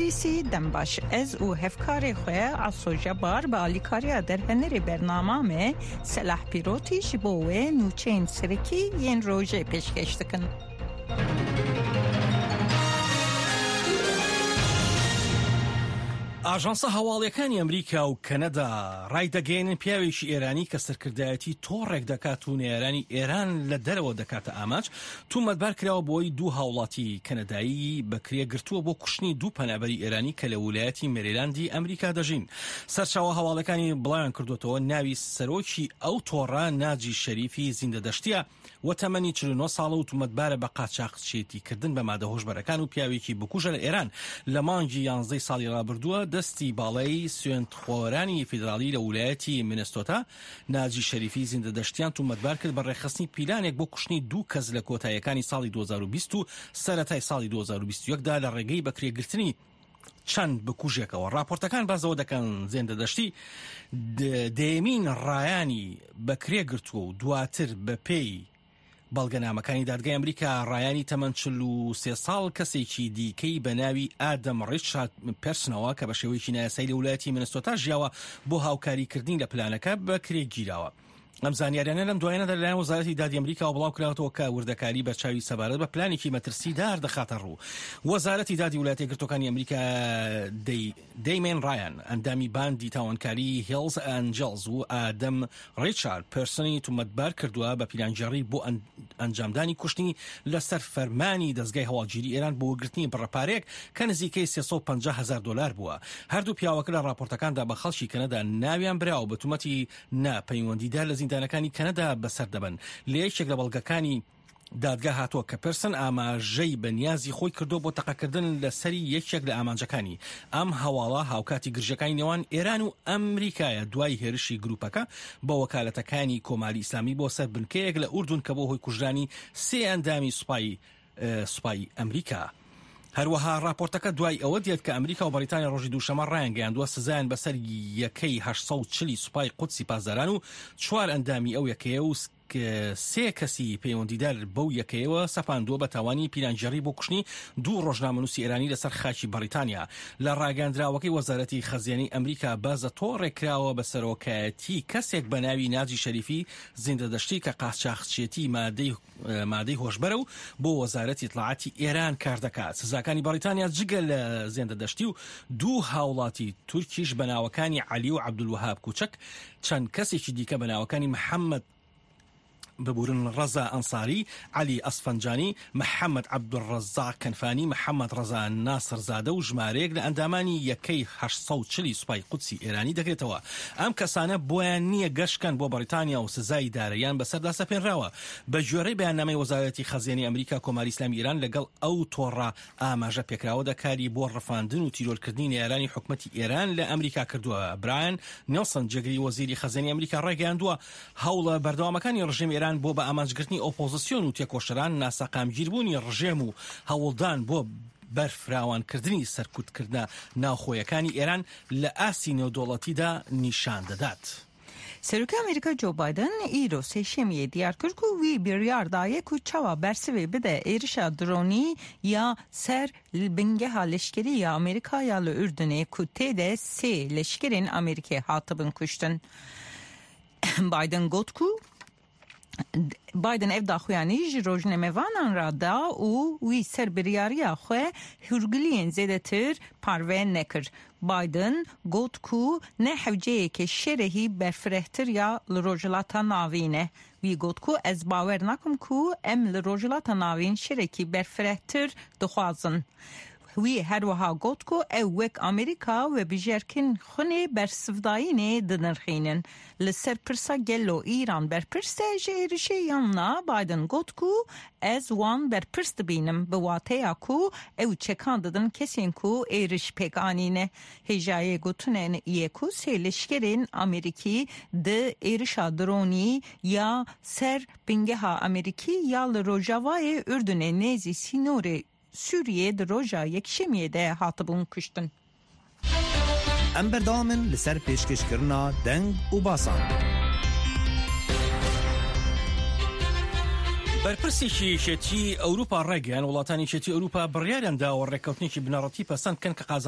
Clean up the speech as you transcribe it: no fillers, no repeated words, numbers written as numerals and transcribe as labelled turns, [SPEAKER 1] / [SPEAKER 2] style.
[SPEAKER 1] DC dem baş. Ez û hevkarê xwe Aso Jebar bi alîkariya derhenerê bernama me Selah Pîrotî ji bo wê nûçeyên serekî yên rojê pêşkêş dikin.
[SPEAKER 2] ئاژانسە هەواڵیەکانی ئەمریکا و کەنەدا ڕایدەگەیەنن پیاوێکی ئێرانی کە سەرکردایەتی تۆڕێک دەکات و نەیارانی ئێران لە دەرەوە دەکاتە ئامانج تومەتبار کراوە بەوەی دوو هاوڵاتی کەنەدایی بەکرێ گرتووە بۆ کوشتنی دوو پەنابەری ئێرانی کە لە ولایەتی مێریلاندی ئەمریکا دەژین. سەرچاوە هەواڵەکانی بڵاویان کردووەتەوە ناوی سەرۆکی ئەو تۆڕە ناجی شەریفی زیندەدەشتیە و تەمەنی 49 ساڵە و تومەتبارە بە قاچاخچێتی کردن بە مادە هۆشبەرەکان و پیاوێکی بکوژە لە ئێران لە مانگی یانزەی ساڵی ڕابردووە دەستی باڵای سوێندخۆرانی فیدراڵی لە ولایەتی مینستۆتا ناجی شەریفی زیندەدەشتیان تومەتبار کرد بە ڕێکخستنی پیلانێک بۆ کوشتنی دوو کەس لە کۆتاییەکانی ساڵی 2020 و سەرەتای ساڵی 2021 دا لە ڕێگەی بەکرێگرتنی چەند بکوژێکەوە. ڕاپۆرتەکان باس لەوە دەکەن زێندەدەشتی دەیەمین ڕایانی بەکرێ گرتووە و دواتر بەپێی بەڵگەنامەکانی دادگای ئەمریکا ڕایانی تەمەن 43 ساڵ کەسێکی دیکەی بە ناوی ئادەم ڕیچارد پێرسنەوە کە بە شێوەیەکی نایاسایی لە ولایەتی منستۆتا ژیاوە بۆ هاوکاریکردنی لە پلانەکە بەکرێ گیراوە. ئەم زانیاریانە لەم دوایانەدا لەلایەن وەزارەتی دادی ئەمریکاوە بڵاوکراوەتەوە کە وردەکاری بەرچاوی سەبارەت بە پلانێکی مەترسیدار دەخاتە ڕوو. وەزارەتی دادی ویلایەتە یەکگرتووەکانی ئەمریکا دەی دەیمێن ڕایان، ئەندامی باندی تاوانکاری هێڵز ئەنجڵز و ئادەم ڕیچارد پێرسنی تومەتبار کردووە بە پیلانگێڕی بۆ ئەنجامدانی کوشتنی لەسەر فەرمانی دەزگای هەواڵگیری ئێران بۆ وەرگرتنی بڕە پارەیەک کە نزیکەی 350 هەزار دۆلار بووە. هەردوو پیاوەکە لە ڕاپۆرتەکاندا بە خەڵکی کەنەدا ناویان براوە بە تومەتی نا پەیوەندیدار لە زیندانەکانی کەنەدا بەسەر دەبەن. لە یەکێک لە بەڵگەکانی دادگا هاتووە کە پێرسن ئاماژەی بە نیازی خۆی کردووە بۆ تەقەکردن لە سەری یەکێک لە ئامانجەکانی. ئەم هەواڵە هاوکاتی گرژییەکانی نێوان ئێران و ئەمریکایە دوای هێرشی گروپەکە بە وەکالەتەکانی کۆماری ئیسلامی بۆ سەر بنکەیەک لە ئوردون کە بۆ هۆی کوژرانی سێ ئەندامی سوپای سوپای ئەمریکا. هەروەها ڕاپۆرتەکە دوای ئەوە دێت کە ئەمریکا و بەریتانیا ڕۆژی دووشەمە ڕایانگەیاندووە سزایان بەسەر یەکەی 840 سوپای قودسی پاسداران و چوار ئەندامی ئەو یەکەیە و سێ کەسی پەیوەندیدار بەو یەکەیەوە سەپاندووە بە تاوانی پیلانگێڕی بۆ کوشتنی دوو ڕۆژنامەنووسی ئێرانی لەسەر خاکی بەڕیتانیا. لە ڕاگەیاندراوەکەی وەزارەتی خەزێنەی ئەمریکا باس لە تۆڕێک کراوە بە سەرۆکایەتی کەسێک بە ناوی ناجی شەریفی زیندەدەشتی کە قاچاخچێتی مادەی مادەی هۆشبەرە و بۆ وەزارەتی ئیتڵاعاتی ئێران کار دەکات. سزاکانی بەڕیتانیا جگە لە زێندەدەشتی و دوو هاوڵاتی تورکیش بە ناوەکانی عەلی و عەبدولوەهاب کوچەک، چەند کەسێکی دیکە بە ناوەکانی محەممەد ببورن ڕەزا ئەنساری، عەلی ئەسفەنجانی، محەممەد عەبدولڕەزاق کەنفانی، محەممەد ڕەزا ناسرزادە و ژمارەیەک لە ئەندامانی یەکەی 840 سوپای قودسی ئێرانی دەگرێتەوە. ئەم کەسانە بۆیان نییە گەشت بکەن بۆ بەڕیتانیا و سزای داراییان بەسەردا سەپێنراوە. بەگوێرەی بەیاننامەی وەزارەتی خەزێنەی ئەمریکا، کۆماری ئیسلامی ئێران لەگەڵ ئەو تۆڕە ئاماژە پێکراوەدا کاری بۆ ڕفاندن و تیرۆرکردنی نەیارانی حکومەتی ئێران لە ئەمریکا کردووە. برایان نیڵسن، جێگری وەزیری خەزێنەی ئەمریکا ڕایگەیاندووە، هەوڵە بەردەوامەکانی ڕژێمی ئێران بۆ بە ئامانجگرتنی ئۆپۆزسیۆن و تێکۆشەران، ناسەقامگیربوونی ڕژێم و هەوڵدان بۆ بەرفراوانکردنی سەرکوتکردنە ناوخۆیەکانی ئێران لە ئاستی نێودەوڵەتیدا نیشان دەدات.
[SPEAKER 1] سەرۆکی ئەمریکا جۆ بایدن ئیرۆ سێشەمیێ دیار کرد ku wî biryar daye ku çawa bersivê bide êrişa dronî ya ser bingeha leşkerî ya Amerîka ya li Urdunê ku tê de sê leşkerên Amerîkê hatibin kuştin. Biden got ku Biden ev daxuyanî ji rojnamevanan re da û wî ser biryariya xwe hûrgiliyên zêdetir parve nekir. Biden got ku ne hewceyeke şerehî berfirehtir ya li Rojhilata Navîn e. Wî got ku ez bawer nakim ku em li Rojhilata Navîn şerekî berfirehtir dixwazin. Wî herwiha got ku ew wek Amerîka vebijerkên xwinê bersivdayînê dinirxînin. Li ser pirsa gelo Îran berpirs e ji êrişê yan na, Biden got ku ez wan berpirs dibînim bi wateya ku ew çekan didin kesên ku êriş pêk anîne. Hêjayê gotinê ye ku sê leşkerên Amerîkî di êrişa dronî ya ser bingeha Amerîkî ya li rojavayê Urdunê nêzî sînorê Sûriyê di roja Yekşemiyê de hatibûn kuştin.
[SPEAKER 3] Em berdewam in li ser pêşkêşkirina deng û basan.
[SPEAKER 2] بەرپرسێکی یەکێتی ئەوروپا ڕایگەیاند، وڵاتانی یەکێتی ئەوروپا بڕیاریان داوە ڕێککەوتنێکی بنەڕەتی پەسەند بکەن کە قازانج.